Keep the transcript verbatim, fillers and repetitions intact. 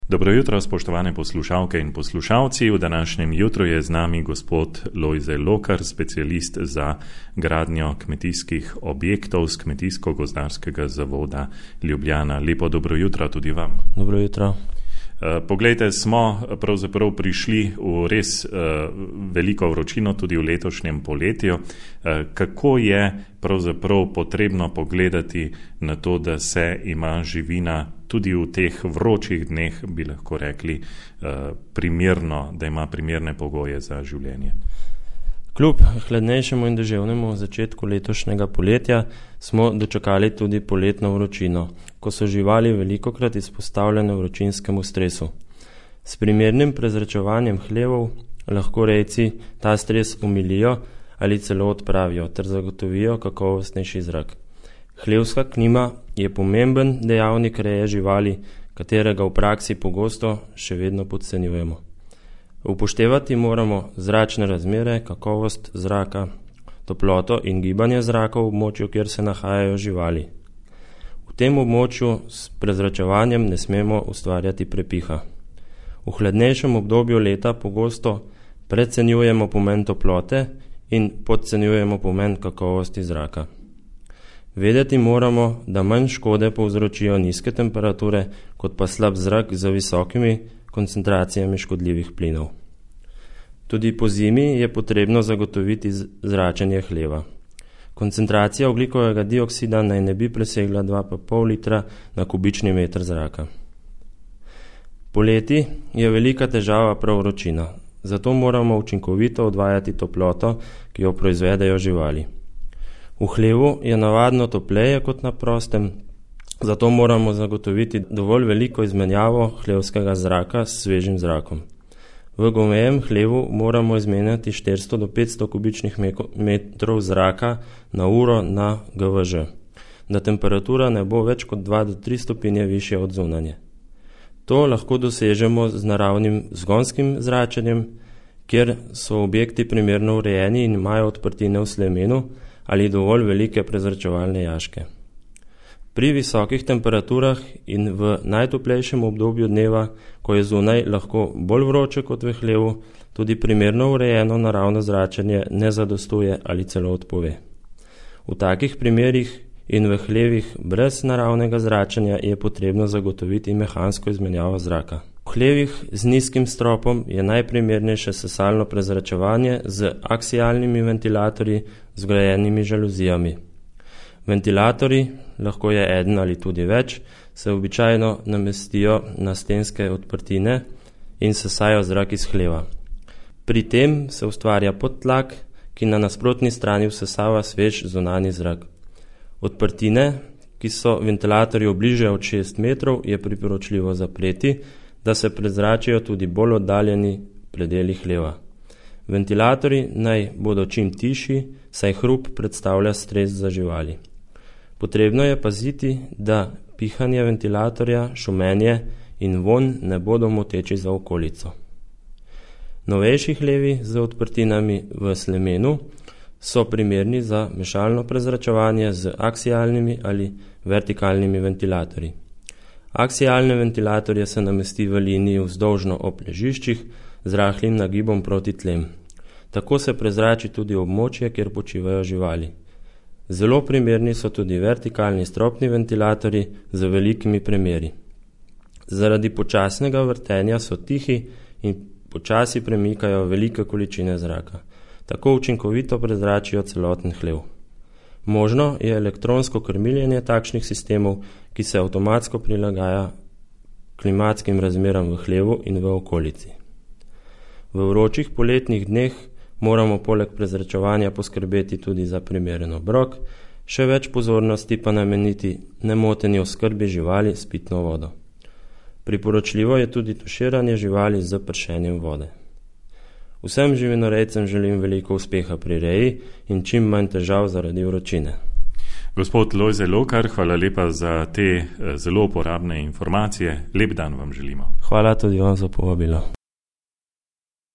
Dobro jutro, spoštovane poslušalke in poslušalci. V današnjem jutru je z nami gospod Lojze Lokar, specialist za gradnjo kmetijskih objektov z Kmetijsko-gozdarskega zavoda Ljubljana. Lepo dobro jutro tudi vam. Dobro jutro. Poglejte, smo pravzaprav prišli v res veliko vročino tudi v letošnjem poletju. Kako je pravzaprav potrebno pogledati na to, da se ima živina tudi v teh vročih dneh, bi lahko rekli, primerno, da ima primerne pogoje za življenje? Kljub hladnejšemu in deževnemu začetku letošnjega poletja smo dočakali tudi poletno vročino, ko so živali velikokrat izpostavljene vročinskemu stresu. S primernim prezračevanjem hlevov lahko rejci ta stres umilijo ali celo odpravijo ter zagotovijo kakovostnejši zrak. Hlevska klima je pomemben dejavnik reje živali, katerega v praksi pogosto še vedno podcenjujemo. Upoštevati moramo zračne razmere, kakovost zraka, toploto in gibanje zraka v območju, kjer se nahajajo živali. V tem območju s prezračevanjem ne smemo ustvarjati prepiha. V hladnejšem obdobju leta pogosto precenjujemo pomen toplote in podcenjujemo pomen kakovosti zraka. Vedeti moramo, da manj škode povzročijo nizke temperature, kot pa slab zrak z visokimi koncentracijami škodljivih plinov. Tudi po zimi je potrebno zagotoviti zračenje hleva. Koncentracija ogljikovega dioksida naj ne bi presegla dva pa pol litra na kubični meter zraka. Poleti je velika težava prav vročina, zato moramo učinkovito odvajati toploto, ki jo proizvedejo živali. V hlevu je navadno topleje kot na prostem, zato moramo zagotoviti dovolj veliko izmenjavo hlevskega zraka s svežim zrakom. V govejem hlevu moramo izmenjati štiristo do petsto kubičnih metrov zraka na uro na G V Ž, da temperatura ne bo več kot dva do tri stopinje višja od zunanje. To lahko dosežemo z naravnim zgonskim zračenjem, kjer so objekti primerno urejeni in imajo odprtine v slemenu ali dovolj velike prezračevalne jaške. Pri visokih temperaturah in v najtoplejšem obdobju dneva, ko je zunaj lahko bolj vroče kot v hlevu, tudi primerno urejeno naravno zračenje ne zadostuje ali celo odpove. V takih primerih in v hlevih brez naravnega zračenja je potrebno zagotoviti mehansko izmenjavo zraka. V hlevih z nizkim stropom je najprimernejše sesalno prezračevanje z aksialnimi ventilatorji z vgrajenimi žaluzijami. Ventilatorji, lahko je eden ali tudi več, se običajno namestijo na stenske odprtine in sesajo zrak iz hleva. Pri tem se ustvarja podtlak, ki na nasprotni strani vsesava svež zunanji zrak. Odprtine, ki so ventilatorju bliže od šest metrov, je priporočljivo zapreti, da se prezračijo tudi bolj oddaljeni predeli hleva. Ventilatorji naj bodo čim tišji, saj hrup predstavlja stres za živali. Potrebno je paziti, da pihanje ventilatorja, šumenje in vonj ne bodo moteči za okolico. Novejši hlevi z odprtinami v slemenu so primerni za mešalno prezračevanje z aksialnimi ali vertikalnimi ventilatorji. Aksialne ventilatorje se namesti v liniji vzdolžno ob ležiščih z rahlim nagibom proti tlem. Tako se prezrači tudi območje, kjer počivajo živali. Zelo primerni so tudi vertikalni stropni ventilatorji z velikimi premeri. Zaradi počasnega vrtenja so tihi in počasi premikajo velike količine zraka. Tako učinkovito prezračijo celoten hlev. Možno je elektronsko krmiljenje takšnih sistemov, ki se avtomatsko prilagaja klimatskim razmeram v hlevu in v okolici. V vročih poletnih dneh moramo poleg prezračevanja poskrbeti tudi za primeren obrok, še več pozornosti pa nameniti nemoteni oskrbi živali s pitno vodo. Priporočljivo je tudi tuširanje živali z pršenjem vode. Vsem živinorejcem želim veliko uspeha pri reji in čim manj težav zaradi vročine. Gospod Lojze Lokar, hvala lepa za te zelo uporabne informacije. Lep dan vam želimo. Hvala tudi vam za povabilo.